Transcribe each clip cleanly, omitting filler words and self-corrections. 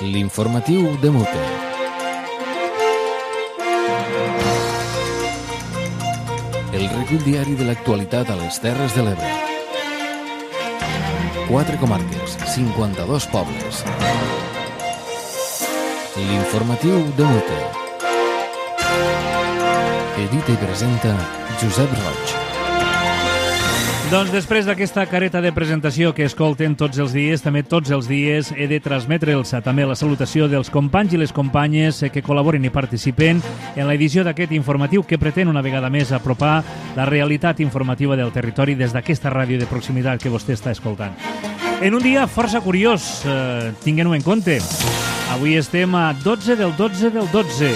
L'informatiu de Mute. El recull diari de l'actualitat a les Terres de l'Ebre. 4 comarques, 52 pobles. L'informatiu de Mute. Edita i presenta Josep Roig. Doncs després d'aquesta careta de presentació que escolten tots els dies, també tots els dies he de transmetre'ls també la salutació dels companys i les companyes que col·laboren i participen en l'edició d'aquest informatiu que pretén una vegada més apropar la realitat informativa del territori des d'aquesta ràdio de proximitat que vostè està escoltant. En un dia força curiós, tinguem-ho en compte. Avui estem a 12 del 12 del 12.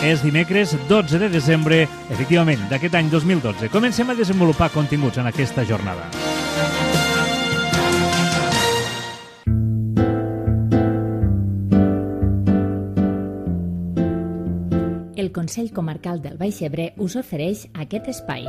És dimecres 12 de desembre, efectivament, d'aquest any 2012. Comencem a desenvolupar continguts en aquesta jornada. El Consell Comarcal del Baix Ebre us ofereix aquest espai.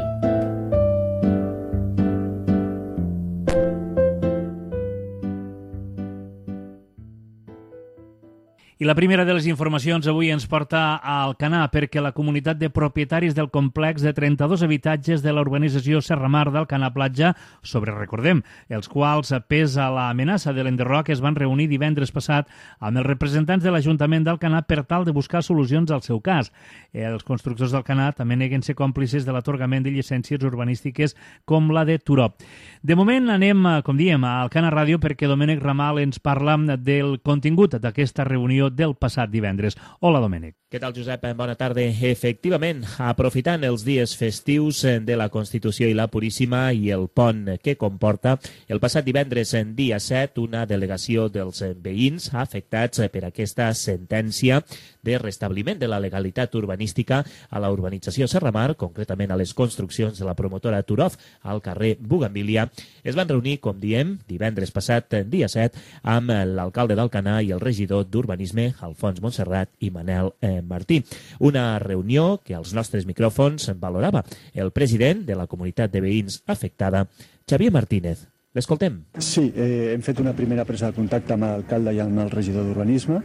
I la primera de les informacions avui ens porta a Alcanar perquè la comunitat de propietaris del complex de 32 habitatges de l'urbanització Serramar d'Alcanar Platja, sobre, recordem, els quals pesa l'amenaça de l'enderroc, es van reunir divendres passat amb els representants de l'Ajuntament d'Alcanar per tal de buscar solucions al seu cas. Els constructors d'Alcanar també neguen ser còmplices de l'atorgament de llicències urbanístiques com la de Turó. De moment anem, com diem, a Alcanar Ràdio perquè Domènec Ramal ens parla del contingut d'aquesta reunió del passat divendres. Hola, Domènec. Què tal, Josep? Bona tarda. Efectivament, aprofitant els dies festius de la Constitució i la Puríssima i el pont que comporta, el passat divendres, dia 7, una delegació dels veïns afectats per aquesta sentència de restabliment de la legalitat urbanística a la urbanització Serramar, concretament a les construccions de la promotora Turov al carrer Bugambilia, es van reunir, com diem, divendres passat, dia 7, amb l'alcalde d'Alcanar i el regidor d'Urbanisme, Alfons Montserrat i Manel Martí. Una reunió que als nostres micròfons valorava el president de la comunitat de veïns afectada, Xavier Martínez. L'escoltem. Sí, hem fet una primera presa de contacte amb l'alcalde i amb el regidor d'Urbanisme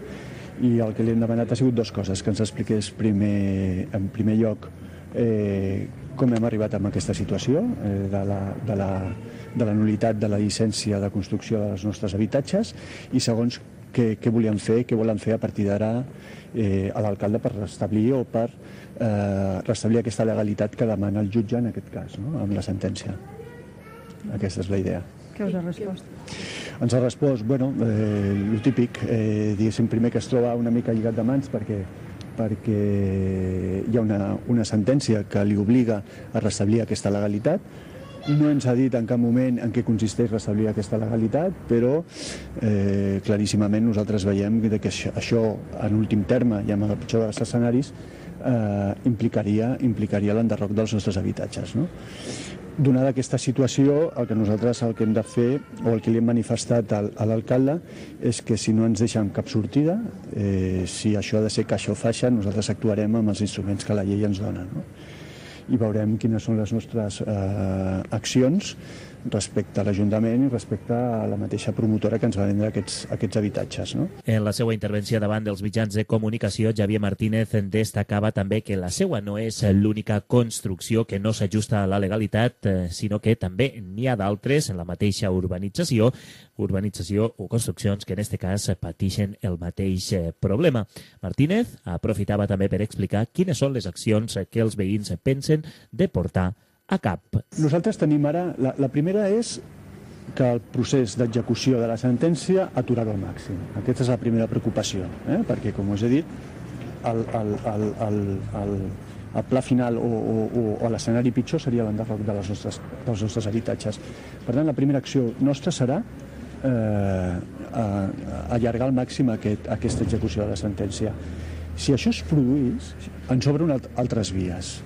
i el que li hem demanat ha sigut dues coses, que ens expliqués en primer lloc com hem arribat a aquesta situació de la nul·litat de la llicència de construcció dels nostres habitatges i segons què volien fer, què volen fer a partir d'ara a l'alcalde per restablir o per restablir aquesta legalitat que demana el jutge en aquest cas, no? Amb la sentència. Aquesta és la idea. Què us ha respost? Ens ha respost, bueno, el típic, diguéssim, primer que es troba una mica lligat de mans perquè hi ha una sentència que li obliga a restablir aquesta legalitat. No ens ha dit en cap moment en què consisteix restablir aquesta legalitat, però claríssimament nosaltres veiem que això, en últim terme i amb el pitjor dels escenaris, implicaria l'enderroc dels nostres habitatges, no? Donada aquesta situació, el que hem de fer, o el que li hem manifestat a l'alcalde, és que si no ens deixen cap sortida, si això ha de ser caixa o faixa, nosaltres actuarem amb els instruments que la llei ens dona, no? I veurem quines són les nostres accions respecte a l'Ajuntament i respecte a la mateixa promotora que ens va vendre aquests habitatges, no? En la seva intervenció davant dels mitjans de comunicació, Xavier Martínez destacava també que la seva no és l'única construcció que no s'ajusta a la legalitat, sinó que també n'hi ha d'altres en la mateixa urbanització o construccions que en aquest cas pateixen el mateix problema. Martínez aprofitava també per explicar quines són les accions que els veïns pensen de portar a cap. Nosaltres tenim ara, la primera és que el procés d'execució de la sentència aturarà al màxim. Aquesta és la primera preocupació, perquè, com us he dit, el pla final o l'escenari pitjor seria l'enderroc dels nostres habitatges. Per tant, la primera acció nostra serà allargar al màxim aquesta execució de la sentència. Si això es produís, ens obren altres vies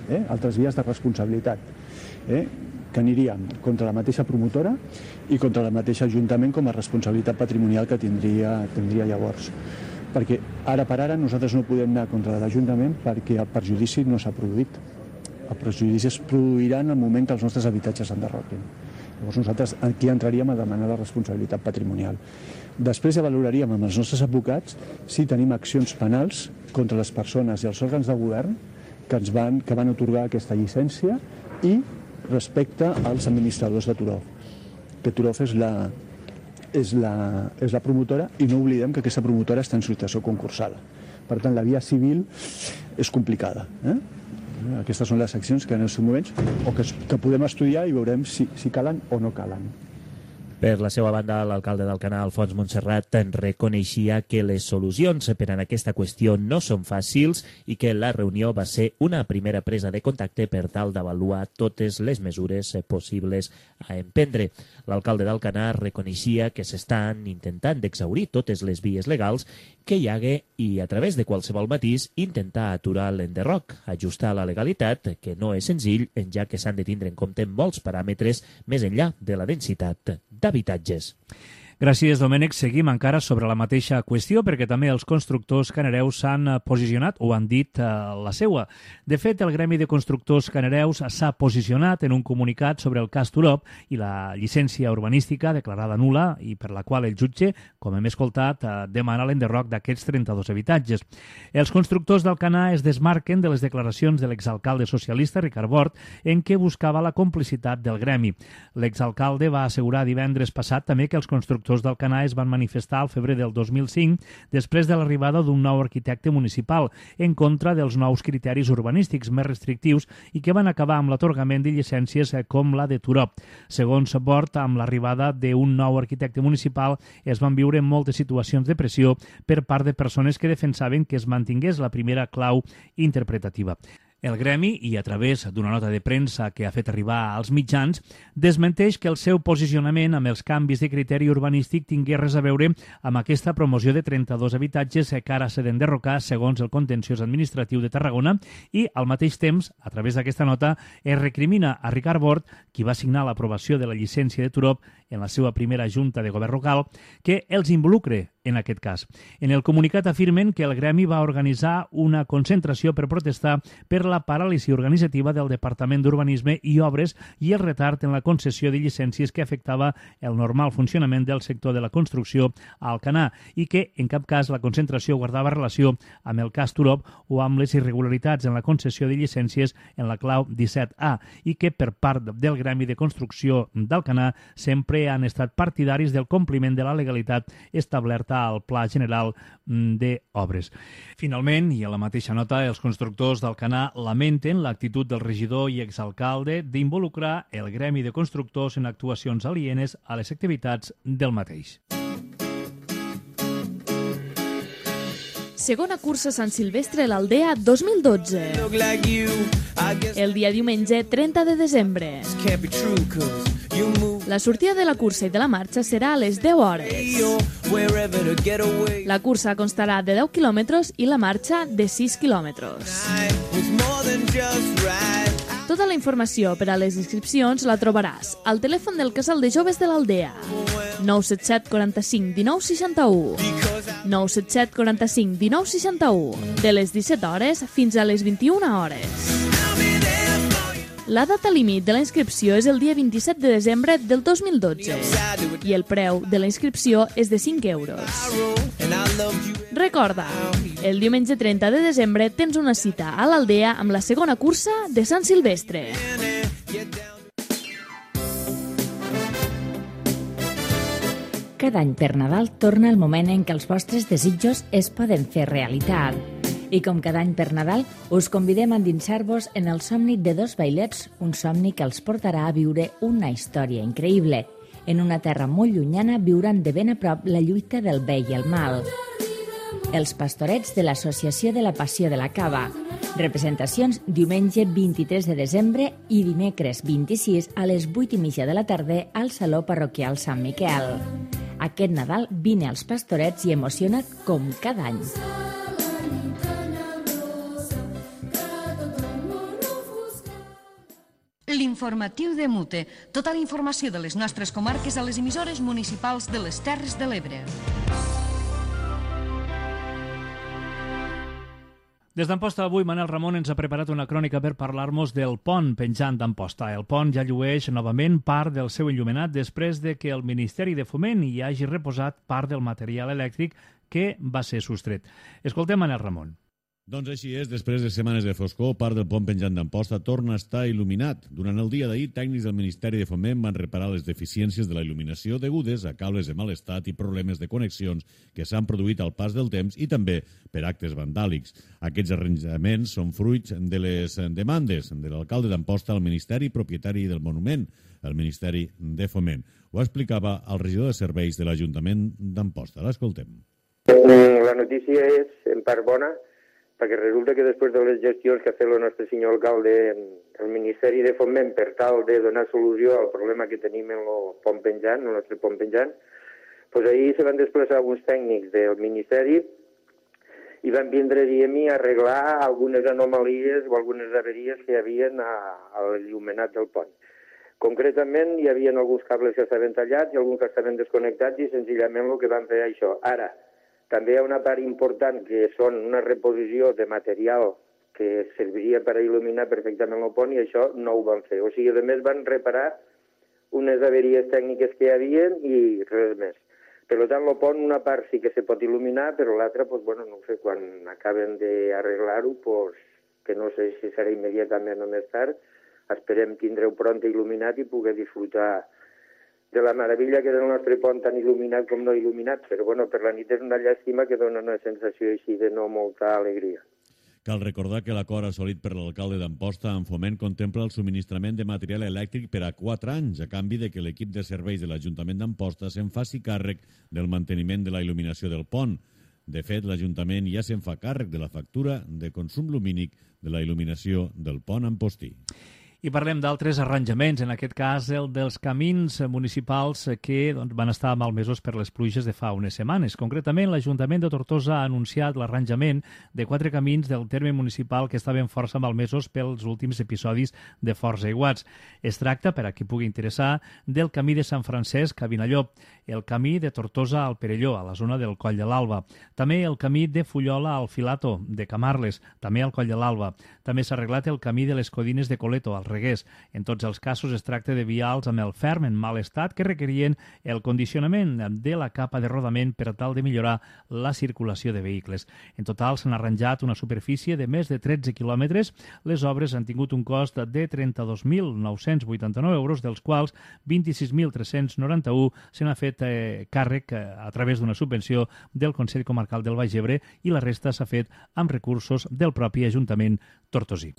de responsabilitat, que aniríem contra la mateixa promotora i contra el mateix Ajuntament com a responsabilitat patrimonial que tindria llavors. Perquè ara per ara nosaltres no podem anar contra l'Ajuntament perquè el perjudici no s'ha produït. El perjudici es produirà en el moment que els nostres habitatges s'enderroquin. Llavors nosaltres aquí entraríem a demanar la responsabilitat patrimonial. Després ja valoraríem amb els nostres advocats si tenim accions penals contra les persones i els òrgans de govern que van atorgar aquesta llicència i respecte als administradors de Turov. Que Turov és la promotora i no oblidem que aquesta promotora està en situació concursada. Per tant, la via civil és complicada. Aquestes són les accions que en els moments que podem estudiar i veurem si calen o no calen. Per la seva banda, l'alcalde d'Alcanar, Alfons Montserrat, reconeixia que les solucions per a aquesta qüestió no són fàcils i que la reunió va ser una primera presa de contacte per tal d'avaluar totes les mesures possibles a emprendre. L'alcalde d'Alcanar reconeixia que s'estan intentant d'exhaurir totes les vies legals que hi hagué i, a través de qualsevol matís, intentar aturar l'enderroc, ajustar la legalitat, que no és senzill, ja que s'han de tindre en compte molts paràmetres més enllà de la densitat d'habitatges. Gràcies, Domènec. Seguim encara sobre la mateixa qüestió perquè també els constructors canareus s'han posicionat o han dit la seua. De fet, el Gremi de Constructors Canareus s'ha posicionat en un comunicat sobre el cas Turop i la llicència urbanística declarada nul·la i per la qual el jutge, com hem escoltat, demana l'enderroc d'aquests 32 habitatges. Els constructors d'Alcanar es desmarquen de les declaracions de l'exalcalde socialista Ricard Bort en què buscava la complicitat del gremi. L'exalcalde va assegurar divendres passat també que els constructors d'Alcanar es van manifestar al febrer del 2005 després de l'arribada d'un nou arquitecte municipal en contra dels nous criteris urbanístics més restrictius i que van acabar amb l'atorgament de llicències com la de Turop. Segons Bort, amb l'arribada d'un nou arquitecte municipal es van viure moltes situacions de pressió per part de persones que defensaven que es mantingués la primera clau interpretativa. El gremi, i a través d'una nota de premsa que ha fet arribar als mitjans, desmenteix que el seu posicionament amb els canvis de criteri urbanístic tingués res a veure amb aquesta promoció de 32 habitatges que ara s'ha d'enderrocar segons el contenciós administratiu de Tarragona i, al mateix temps, a través d'aquesta nota, es recrimina a Ricard Bort, qui va signar l'aprovació de la llicència de Turop en la seva primera junta de govern local, que els involucre en aquest cas. En el comunicat afirmen que el gremi va organitzar una concentració per protestar per la paràlisi organitzativa del Departament d'Urbanisme i Obres i el retard en la concessió de llicències que afectava el normal funcionament del sector de la construcció a Alcanar i que, en cap cas, la concentració guardava relació amb el cas Turop o amb les irregularitats en la concessió de llicències en la clau 17A i que, per part del gremi de construcció d'Alcanar, sempre han estat partidaris del compliment de la legalitat establerta al Pla General d'Obres. Finalment, i a la mateixa nota, els constructors d'Alcanar lamenten l'actitud del regidor i exalcalde d'involucrar el gremi de constructors en actuacions alienes a les activitats del mateix. Segona cursa Sant Silvestre a l'Aldea 2012. El dia diumenge 30 de desembre. La sortida de la cursa i de la marxa serà a les 10 hores. La cursa constarà de 10 quilòmetres i la marxa de 6 quilòmetres. Tota la informació per a les inscripcions la trobaràs al telèfon del Casal de Joves de l'Aldea 977 45 19 61 977 45 19 61 de les 17 hores fins a les 21 hores. La data límit de la inscripció és el dia 27 de desembre del 2012 i el preu de la inscripció és de 5 euros. Recorda, el diumenge 30 de desembre tens una cita a l'Aldea amb la segona cursa de Sant Silvestre. Cada any per Nadal torna el moment en què els vostres desitjos es poden fer realitat. I com cada any per Nadal, us convidem a endinsar-vos en el somni de dos vailets, un somni que els portarà a viure una història increïble. En una terra molt llunyana viuran de ben a prop la lluita del bé i el mal. Els pastorets de l'Associació de la Passió de la Cava. Representacions diumenge 23 de desembre i dimecres 26 a les 8:30 de la tarda al Saló Parroquial Sant Miquel. Aquest Nadal vine als pastorets i emociona't com cada any. L'informatiu de Mute. Tota la informació de les nostres comarques a les emissores municipals de les Terres de l'Ebre. Des d'Amposta avui, Manel Ramon ens ha preparat una crònica per parlar-nos del pont penjant d'Amposta. El pont ja llueix novament part del seu enllumenat després de que el Ministeri de Foment hi hagi reposat part del material elèctric que va ser sostret. Escoltem Manel Ramon. Doncs així és, després de setmanes de foscor, part del pont penjant d'Amposta torna a estar il·luminat. Durant el dia d'ahir, tècnics del Ministeri de Foment van reparar les deficiències de la il·luminació degudes a cables de mal estat i problemes de connexions que s'han produït al pas del temps i també per actes vandàlics. Aquests arranjaments són fruits de les demandes de l'alcalde d'Amposta al Ministeri propietari del monument, el Ministeri de Foment. Ho explicava el regidor de serveis de l'Ajuntament d'Amposta. L'escoltem. La notícia és en part bona, perquè resulta que després de les gestions que ha fet el nostre senyor alcalde el Ministeri de Foment per tal de donar solució al problema que tenim en el pont penjant, el nostre pont penjant, doncs ahir se van desplaçar alguns tècnics del Ministeri i van vindre a dir a mi a arreglar algunes anomalies o algunes averies que hi havia a l'il·luminat del pont. Concretament, hi havia alguns cables que estaven tallats i alguns que estaven desconnectats i senzillament el que van fer això. Ara, també hi ha una part important que són una reposició de material que serviria per a il·luminar perfectament el pont i això no ho van fer. O sigui, a més van reparar unes averies tècniques que hi havia i res més. Per tant, el pont una part sí que se pot il·luminar, però l'altra, doncs, bueno, no ho sé, quan acaben d'arreglar-ho, doncs, que no sé si serà immediatament o més tard, esperem tindreu pront il·luminat i poder disfrutar de la meravella que és el nostre pont tan il·luminat com no il·luminat, però bueno, per la nit és una llàstima que dona una sensació així de no molta alegria. Cal recordar que l'acord assolit per l'alcalde d'Amposta en Foment contempla el subministrament de material elèctric per a 4 anys, a canvi de que l'equip de serveis de l'Ajuntament d'Amposta se'n faci càrrec del manteniment de la il·luminació del pont. De fet, l'Ajuntament ja se'n fa càrrec de la factura de consum lumínic de la il·luminació del pont ampostí. I parlem d'altres arranjaments, en aquest cas el dels camins municipals que van estar malmesos per les pluges de fa unes setmanes. Concretament, l'Ajuntament de Tortosa ha anunciat l'arranjament de 4 camins del terme municipal que estaven força malmesos pels últims episodis de forts aiguats. Es tracta, per a qui pugui interessar, del camí de Sant Francesc a Vinallop, el camí de Tortosa al Perelló, a la zona del Coll de l'Alba, també el camí de Fullola al Filato, de Camarles, també al Coll de l'Alba. També s'ha arreglat el camí de les Codines de Coleto, al Reguers. En tots els casos es tracta de vials amb el ferm en mal estat que requerien el condicionament de la capa de rodament per tal de millorar la circulació de vehicles. En total s'han arranjat una superfície de més de 13 quilòmetres. Les obres han tingut un cost de 32.989 euros, dels quals 26.391 se n'ha fet càrrec a través d'una subvenció del Consell Comarcal del Baix Ebre i la resta s'ha fet amb recursos del propi Ajuntament tortosí.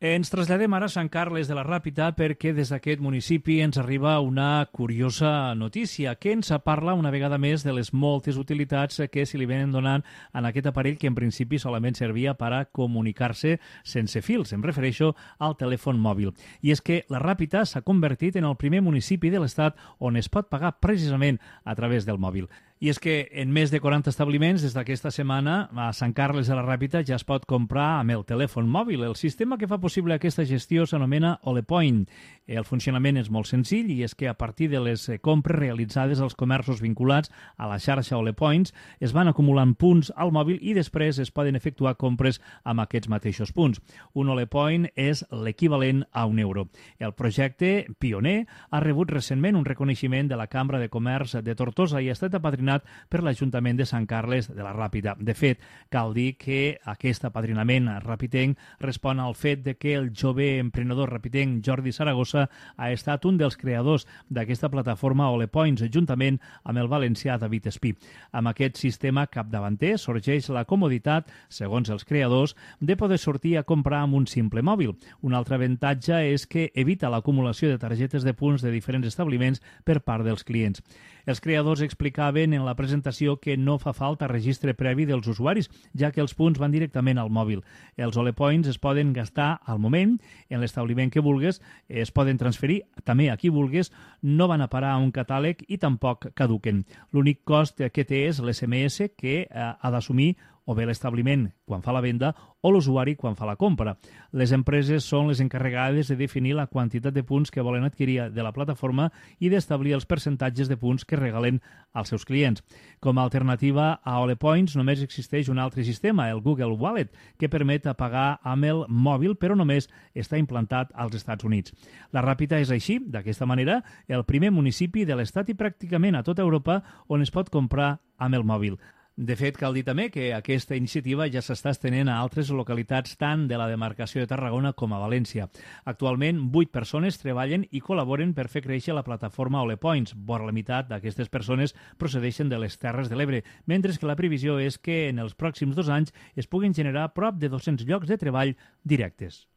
Ens traslladem ara a Sant Carles de la Ràpita perquè des d'aquest municipi ens arriba una curiosa notícia que ens parla una vegada més de les moltes utilitats que se li venen donant en aquest aparell que en principi solament servia per a comunicar-se sense fils. Em refereixo al telèfon mòbil. I és que la Ràpita s'ha convertit en el primer municipi de l'Estat on es pot pagar precisament a través del mòbil. I és que en més de 40 establiments des d'aquesta setmana a Sant Carles de la Ràpita ja es pot comprar amb el telèfon mòbil. El sistema que fa possible aquesta gestió s'anomena Olepoint. El funcionament és molt senzill i és que a partir de les compres realitzades als comerços vinculats a la xarxa Olepoints es van acumulant punts al mòbil i després es poden efectuar compres amb aquests mateixos punts. Un Olepoint és l'equivalent a €1. El projecte, pioner, ha rebut recentment un reconeixement de la Cambra de Comerç de Tortosa i ha estat apadrinat per l'Ajuntament de Sant Carles de la Ràpita. De fet, cal dir que aquest apadrinament rapitenc respon al fet de que el jove emprenedor rapitenc Jordi Saragossa ha estat un dels creadors d'aquesta plataforma Olepoints, juntament amb el valencià David Espí. Amb aquest sistema capdavanter sorgeix la comoditat, segons els creadors, de poder sortir a comprar amb un simple mòbil. Un altre avantatge és que evita l'acumulació de targetes de punts de diferents establiments per part dels clients. Els creadors explicaven en la presentació que no fa falta registre previ dels usuaris, ja que els punts van directament al mòbil. Els Olepoints es poden gastar al moment, en l'establiment que vulgues, es poden transferir també a qui vulgues, no van a parar a un catàleg i tampoc caduquen. L'únic cost que té és l'SMS que ha d'assumir o bé l'establiment quan fa la venda o l'usuari quan fa la compra. Les empreses són les encarregades de definir la quantitat de punts que volen adquirir de la plataforma i d'establir els percentatges de punts que regalen als seus clients. Com a alternativa a Ole Points només existeix un altre sistema, el Google Wallet, que permet pagar amb el mòbil, però només està implantat als Estats Units. La Ràpita és així, d'aquesta manera, el primer municipi de l'Estat i pràcticament a tota Europa on es pot comprar amb el mòbil. De fet, cal dir també que aquesta iniciativa ja s'està estenent a altres localitats tant de la demarcació de Tarragona com a València. Actualment, 8 persones treballen i col·laboren per fer créixer la plataforma Ole Points. Vora la meitat d'aquestes persones procedeixen de les Terres de l'Ebre, mentre que la previsió és que en els pròxims 2 anys es puguin generar prop de 200 llocs de treball directes.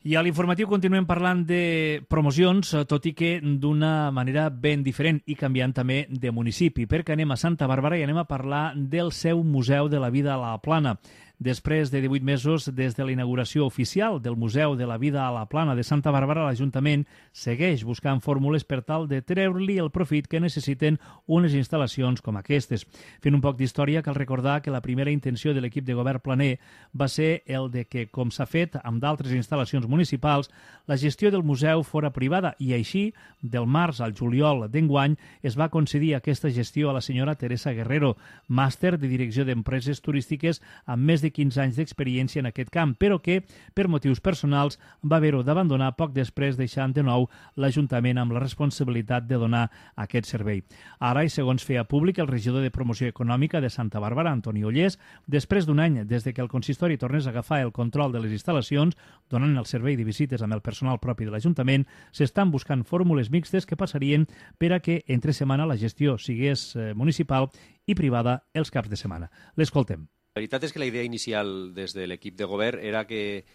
I a l'informatiu continuem parlant de promocions, tot i que d'una manera ben diferent i canviant també de municipi, perquè anem a Santa Bàrbara i anem a parlar del seu Museu de la Vida a la Plana. Després de 18 mesos des de la inauguració oficial del Museu de la Vida a la Plana de Santa Bàrbara, l'Ajuntament segueix buscant fórmules per tal de treure-li el profit que necessiten unes instal·lacions com aquestes. Fent un poc d'història, cal recordar que la primera intenció de l'equip de govern planer va ser el de que, com s'ha fet amb d'altres instal·lacions municipals, la gestió del museu fora privada i així, del març al juliol d'enguany, es va concedir aquesta gestió a la senyora Teresa Guerrero, màster de Direcció d'Empreses Turístiques amb més de 15 anys d'experiència en aquest camp, però que, per motius personals, va haver-ho d'abandonar poc després, deixant de nou l'Ajuntament amb la responsabilitat de donar aquest servei. Ara, i segons feia públic el regidor de Promoció Econòmica de Santa Bàrbara, Antoni Ollés, després d'un any des de que el consistori tornés a agafar el control de les instal·lacions, donant el servei de visites amb el personal propi de l'Ajuntament, s'estan buscant fórmules mixtes que passarien per a que entre setmana la gestió sigués municipal i privada els caps de setmana. L'escoltem. La veritat és que la idea inicial des de l'equip de govern era que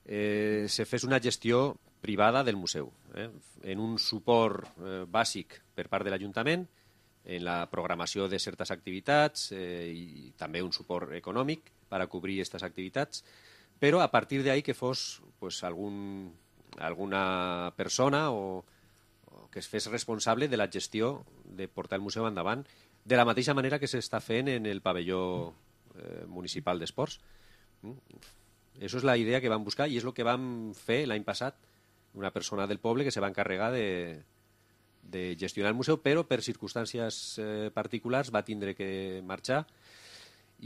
se fes una gestió privada del museu, en un suport bàsic per part de l'Ajuntament, en la programació de certes activitats i també un suport econòmic per a cobrir aquestes activitats, però a partir d'ahí que fos alguna persona o que es fes responsable de la gestió de portar el museu endavant, de la mateixa manera que s'està fent en el pavelló municipal d'esports. Això és la idea que vam buscar i és el que vam fer l'any passat, una persona del poble que se va encarregar de gestionar el museu, però per circumstàncies particulars va tindre que marxar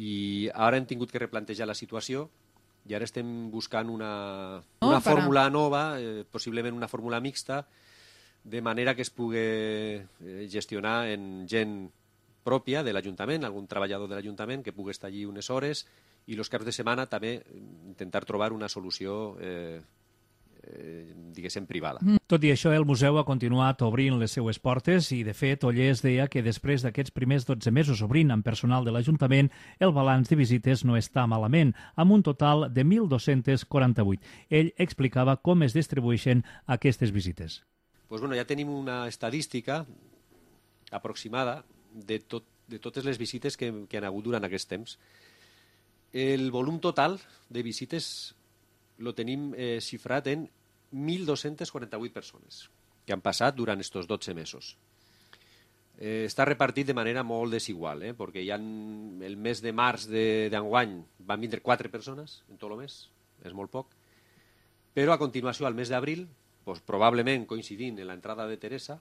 i ara hem tingut que replantejar la situació i ara estem buscant una fórmula nova, possiblement una fórmula mixta, de manera que es pugui gestionar en gent pròpia de l'Ajuntament, algun treballador de l'Ajuntament que pugui estar allí unes hores i els caps de setmana també intentar trobar una solució, diguéssim, privada. Tot i això, el museu ha continuat obrint les seues portes i, de fet, Ollés deia que després d'aquests primers 12 mesos obrint amb personal de l'Ajuntament, el balanç de visites no està malament, amb un total de 1.248. Ell explicava com es distribueixen aquestes visites. Pues bueno, ja tenim una estadística aproximada de totes les visites que han hagut durant aquest temps. El volum total de visites lo tenim xifrat en 1.248 persones que han passat durant aquests 12 mesos. Està repartit de manera molt desigual, perquè hi ha el mes de març d'enguany van vindre 4 persones en tot el mes, és molt poc, però a continuació, al mes d'abril, probablement coincidint en l'entrada de Teresa,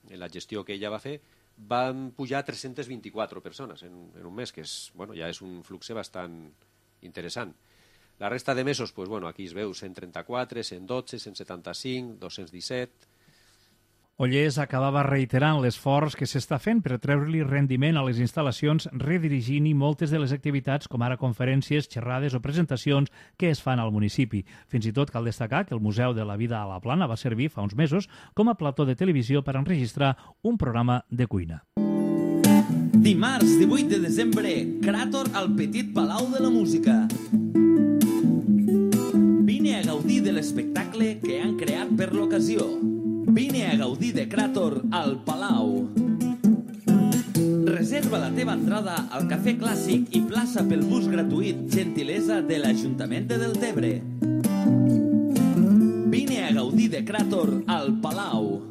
en la gestió que ella va fer, van pujar 324 persones en un mes, que ja és un flux bastant interessant. La resta de mesos, aquí es veu 134, 112, 175, 217... Ollés acabava reiterant l'esforç que s'està fent per treure-li rendiment a les instal·lacions redirigint-hi moltes de les activitats, com ara conferències, xerrades o presentacions que es fan al municipi. Fins i tot cal destacar que el Museu de la Vida a la Plana va servir fa uns mesos com a plató de televisió per enregistrar un programa de cuina. Dimarts 18 de desembre, Cràtor al Petit Palau de la Música. Vine a gaudir de l'espectacle que han creat per l'ocasió. Vine a gaudir de Cràtor al Palau. Reserva la teva entrada al Cafè Clàssic i plaça pel bus gratuït, gentilesa de l'Ajuntament de Deltebre. Vine a gaudir de Cràtor al Palau.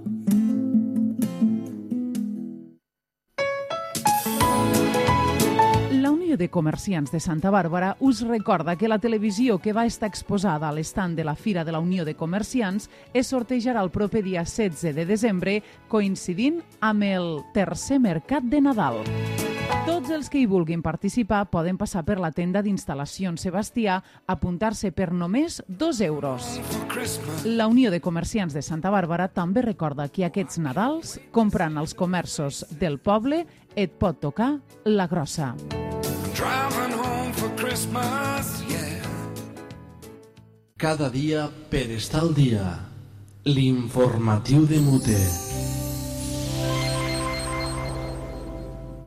La Unió Unió de Comerciants de Santa Bàrbara us recorda que la televisió que va estar exposada a l'estand de la Fira de la Unió de Comerciants es sortejarà el proper dia 16 de desembre, coincidint amb el tercer mercat de Nadal. Tots els que hi vulguin participar poden passar per la tenda d'instal·lacions Sebastià, apuntar-se per només 2 euros. La Unió de Comerciants de Santa Bàrbara també recorda que aquests Nadals, comprant als comerços del poble, et pot tocar la grossa. Cada dia per estar al dia. L'informatiu de Mute.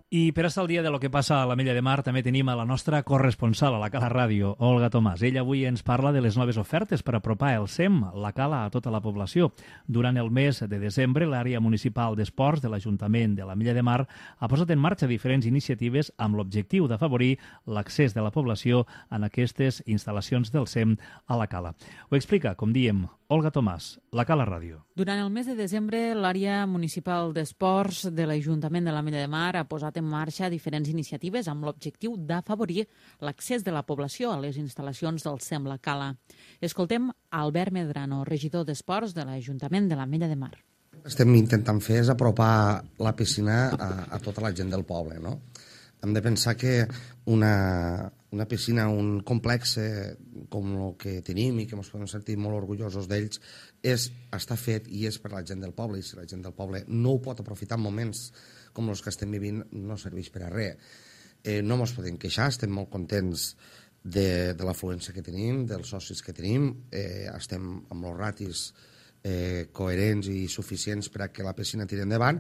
I per estar al dia de lo que passa a l'Ametlla de Mar també tenim a la nostra corresponsal a la Cala Ràdio, Olga Tomàs. Ella avui ens parla de les noves ofertes per apropar el SEM, la Cala, a tota la població. Durant el mes de desembre, l'àrea municipal d'esports de l'Ajuntament de l'Ametlla de Mar ha posat en marxa diferents iniciatives amb l'objectiu d'afavorir l'accés de la població en aquestes instal·lacions del SEM a la Cala. Ho explica, com diem, Olga Tomàs, la Cala Ràdio. Durant el mes de desembre, l'àrea municipal d'esports de l'Ajuntament de l'Ametlla de Mar ha posat en marxa diferents iniciatives amb l'objectiu d'afavorir l'accés de la població a les instal·lacions del SEM La Cala. Escoltem Albert Medrano, regidor d'esports de l'Ajuntament de l'Ametlla de Mar. El que estem intentant fer és apropar la piscina a tota la gent del poble, no? Hem de pensar que una piscina, un complex com el que tenim i que ens podem sentir molt orgullosos d'ells, està fet i és per la gent del poble, i si la gent del poble no ho pot aprofitar en moments com els que estem vivint, no serveix per a res. No ens podem queixar, estem molt contents de l'afluència que tenim, dels socis que tenim, estem amb els ratis coherents i suficients per a que la piscina tiri endavant,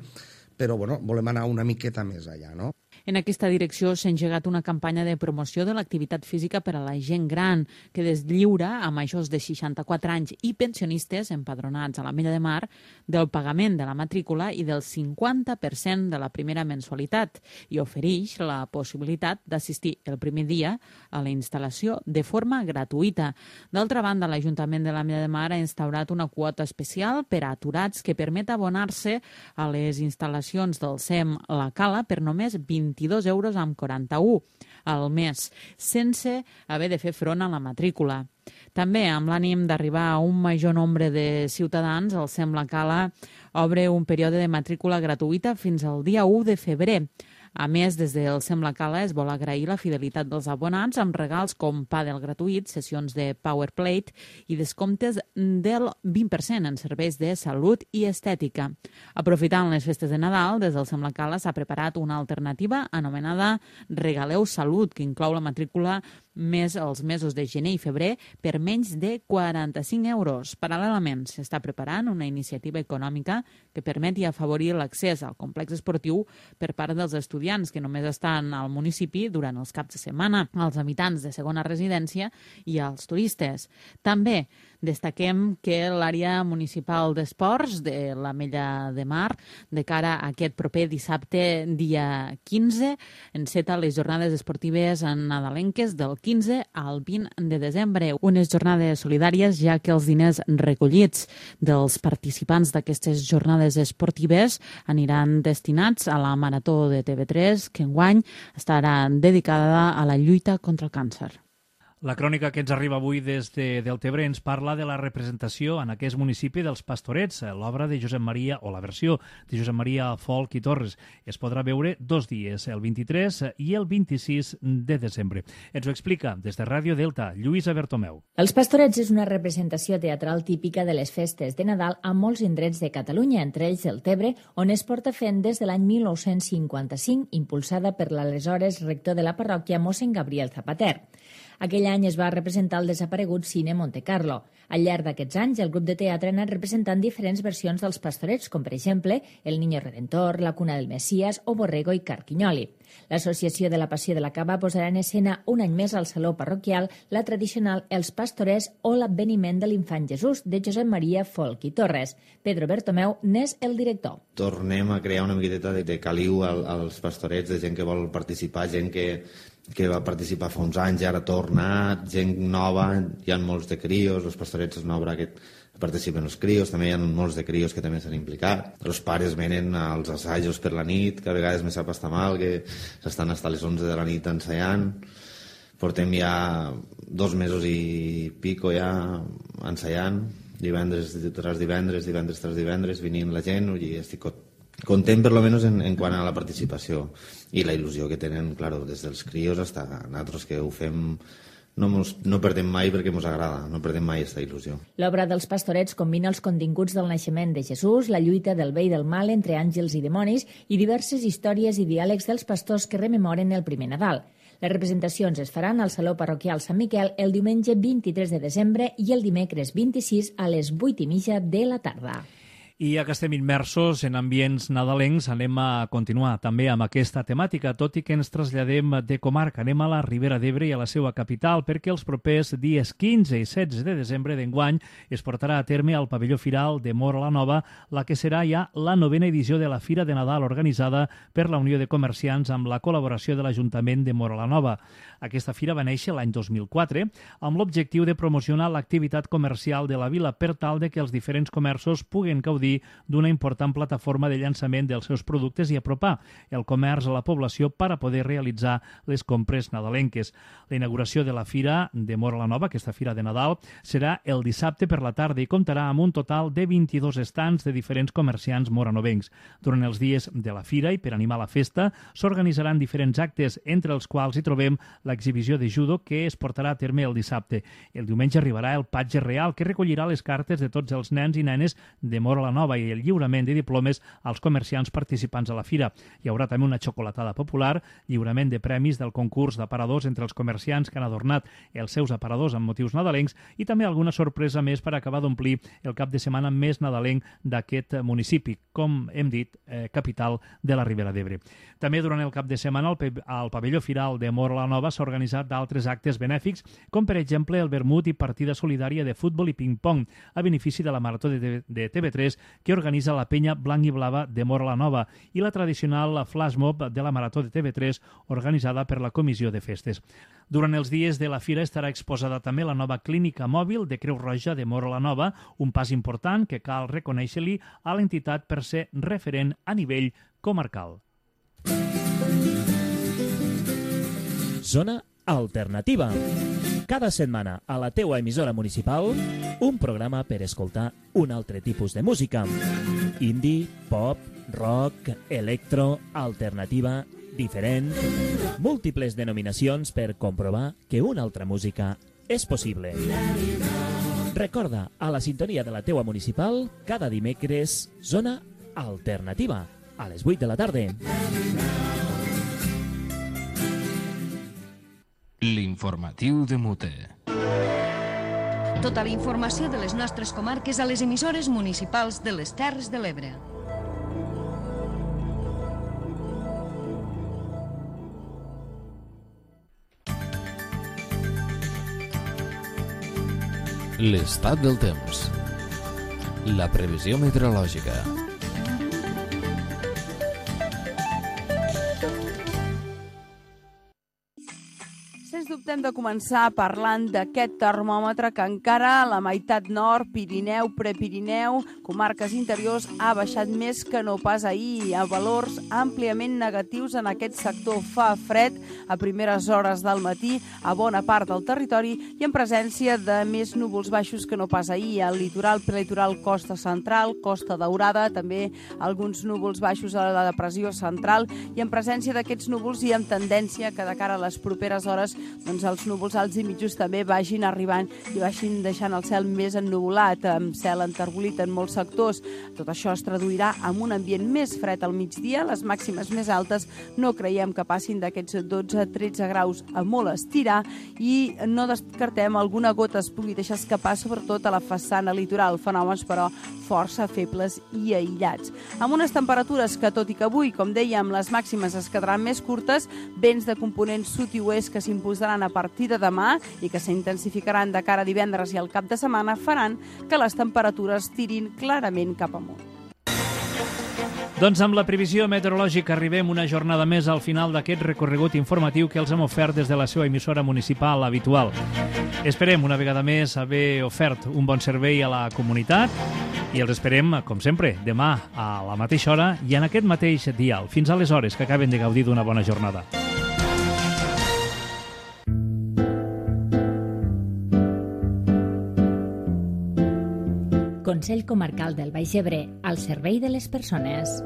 però volem anar una miqueta més allà, no? En aquesta direcció s'ha engegat una campanya de promoció de l'activitat física per a la gent gran, que deslliura a majors de 64 anys i pensionistes empadronats a l'Ametlla de Mar del pagament de la matrícula i del 50% de la primera mensualitat i ofereix la possibilitat d'assistir el primer dia a la instal·lació de forma gratuïta. D'altra banda, l'Ajuntament de l'Ametlla de Mar ha instaurat una quota especial per a aturats que permet abonar-se a les instal·lacions del SEM La Cala per només 22 euros amb 41 al mes, sense haver de fer front a la matrícula. També, amb l'ànim d'arribar a un major nombre de ciutadans, el SEM La Cala obre un període de matrícula gratuïta fins al dia 1 de febrer. A més, des del SEM La Cala es vol agrair la fidelitat dels abonats amb regals com pàdel gratuït, sessions de Powerplate i descomptes del 20% en serveis de salut i estètica. Aprofitant les festes de Nadal, des del SEM La Cala s'ha preparat una alternativa anomenada Regaleu Salut, que inclou la matrícula més els mesos de gener i febrer per menys de 45 euros. Paral·lelament, s'està preparant una iniciativa econòmica que permeti afavorir l'accés al complex esportiu per part dels estudiants que només estan al municipi durant els caps de setmana, als habitants de segona residència i als turistes. També destaquem que l'àrea municipal d'esports de l'Ametlla de Mar, de cara a aquest proper dissabte, dia 15, enceta les jornades esportives nadalenques del 15 al 20 de desembre. Unes jornades solidàries, ja que els diners recollits dels participants d'aquestes jornades esportives aniran destinats a la Marató de TV3, que enguany estarà dedicada a la lluita contra el càncer. La crònica que ens arriba avui des de Deltebre ens parla de la representació en aquest municipi dels Pastorets, l'obra de Josep Maria, o la versió de Josep Maria Folch i Torres. Es podrà veure 2 dies, el 23 i el 26 de desembre. Ens ho explica des de Ràdio Delta, Lluïsa Bertomeu. Els Pastorets és una representació teatral típica de les festes de Nadal a molts indrets de Catalunya, entre ells Deltebre, on es porta fent des de l'any 1955, impulsada per l'aleshores rector de la parròquia, mossèn Gabriel Zapater. Aquell any es va representar el desaparegut Cine Monte Carlo. Al llarg d'aquests anys, el grup de teatre ha anat representant diferents versions dels Pastorets, com per exemple El Niño Redentor, La Cuna del Mesías o Borrego i Carquinyoli. L'Associació de la Passió de la Cava posarà en escena un any més al Saló Parroquial la tradicional Els Pastorets o l'Adveniment de l'Infant Jesús de Josep Maria Folch i Torres. Pedro Bertomeu n'és el director. Tornem a crear una miqueta de caliu als Pastorets, de gent que vol participar, gent que va participar fa uns anys i ara torna, gent nova, hi ha molts de crios, els Pastorets és una obra que participen els crios, també hi ha molts de crios que també s'han implicat. Els pares venen als assajos per la nit, que a vegades me sap estar mal, que s'estan fins a les 11 de la nit ensaiant. Portem ja 2 mesos i pico ja ensaiant, divendres tras divendres, divendres tras divendres, venint la gent, i estic content per lo menos en quant a la participació i la il·lusió que tenen, claro, des dels crios fins a nosaltres que ho fem. No perdem mai perquè ens agrada, no perdem mai aquesta il·lusió. L'obra dels Pastorets combina els continguts del naixement de Jesús, la lluita del bé i del mal entre àngels i dimonis i diverses històries i diàlegs dels pastors que rememoren el primer Nadal. Les representacions es faran al Saló Parroquial Sant Miquel el diumenge 23 de desembre i el dimecres 26 a les 8:30 de la tarda. I ja que estem immersos en ambients nadalencs, anem a continuar també amb aquesta temàtica, tot i que ens traslladem de comarca. Anem a la Ribera d'Ebre i a la seva capital, perquè els propers dies 15 i 16 de desembre d'enguany es portarà a terme al pavelló firal de Móra la Nova, la que serà ja la 9ª edició de la Fira de Nadal organitzada per la Unió de Comerciants amb la col·laboració de l'Ajuntament de Móra la Nova. Aquesta fira va néixer l'any 2004 amb l'objectiu de promocionar l'activitat comercial de la vila per tal de que els diferents comerços puguen gaudir d'una important plataforma de llançament dels seus productes i apropar el comerç a la població per a poder realitzar les compres nadalenques. La inauguració de la Fira de Móra la Nova, aquesta Fira de Nadal, serà el dissabte per la tarda i comptarà amb un total de 22 estands de diferents comerciants moranovencs. Durant els dies de la Fira i per animar la festa s'organitzaran diferents actes, entre els quals hi trobem l'exhibició de judo que es portarà a terme el dissabte. El diumenge arribarà el Patge Real, que recollirà les cartes de tots els nens i nenes de Móra la Nova i el lliurament de diplomes als comerciants participants a la fira. Hi haurà també una xocolatada popular, lliurament de premis del concurs d'aparadors entre els comerciants que han adornat els seus aparadors amb motius nadalencs i també alguna sorpresa més per acabar d'omplir el cap de setmana més nadalenc d'aquest municipi, com hem dit, capital de la Ribera d'Ebre. També durant el cap de setmana al pavelló firal de Móra la Nova s'ha organitzat d'altres actes benèfics, com per exemple el vermut i partida solidària de futbol i ping-pong a benefici de la Marató de TV3 que organitza la penya blanc i blava de Móra la Nova i la tradicional flash mob de la Marató de TV3 organitzada per la Comissió de Festes. Durant els dies de la fira estarà exposada també la nova clínica mòbil de Creu Roja de Móra la Nova, un pas important que cal reconèixer-li a l'entitat per ser referent a nivell comarcal. Zona Alternativa. Cada setmana a la teua emissora municipal, un programa per escoltar un altre tipus de música. Indie, pop, rock, electro, alternativa, diferent. Múltiples denominacions per comprovar que una altra música és possible. Recorda, a la sintonia de la teua municipal, cada dimecres, Zona Alternativa, a les 8 de la tarda. L'informatiu de Mute. Tota la informació de les nostres comarques a les emissores municipals de les Terres de l'Ebre. L'estat del temps. La previsió meteorològica. Hem de començar parlant d'aquest termòmetre que encara a la meitat nord, Pirineu, Prepirineu, comarques interiors, ha baixat més que no pas ahir, a valors àmpliament negatius en aquest sector. Fa fred a primeres hores del matí a bona part del territori i en presència de més núvols baixos que no pas ahir. Al litoral, prelitoral, costa central, costa daurada, també alguns núvols baixos a la depressió central i en presència d'aquests núvols i amb tendència que de cara a les properes hores els núvols alts i mitjos també vagin arribant i vagin deixant el cel més ennuvolat, amb cel enterbolit en molts sectors. Tot això es traduirà en un ambient més fred al migdia, les màximes més altes no creiem que passin d'aquests 12-13 graus a molt estirar i no descartem alguna gota es pugui deixar escapar, sobretot a la façana litoral, fenòmens però força febles i aïllats. Amb unes temperatures que, tot i que avui, com dèiem, les màximes es quedaran més curtes, vents de component sud i oest que s'imposaran a partir de demà i que s'intensificaran de cara a divendres i al cap de setmana faran que les temperatures tirin clarament cap amunt. Doncs amb la previsió meteorològica arribem una jornada més al final d'aquest recorregut informatiu que els hem ofert des de la seva emissora municipal habitual. Esperem una vegada més haver ofert un bon servei a la comunitat i els esperem, com sempre, demà a la mateixa hora i en aquest mateix dial. Fins aleshores, que acaben de gaudir d'una bona jornada. Consell Comarcal del Baix Ebre, al servei de les persones.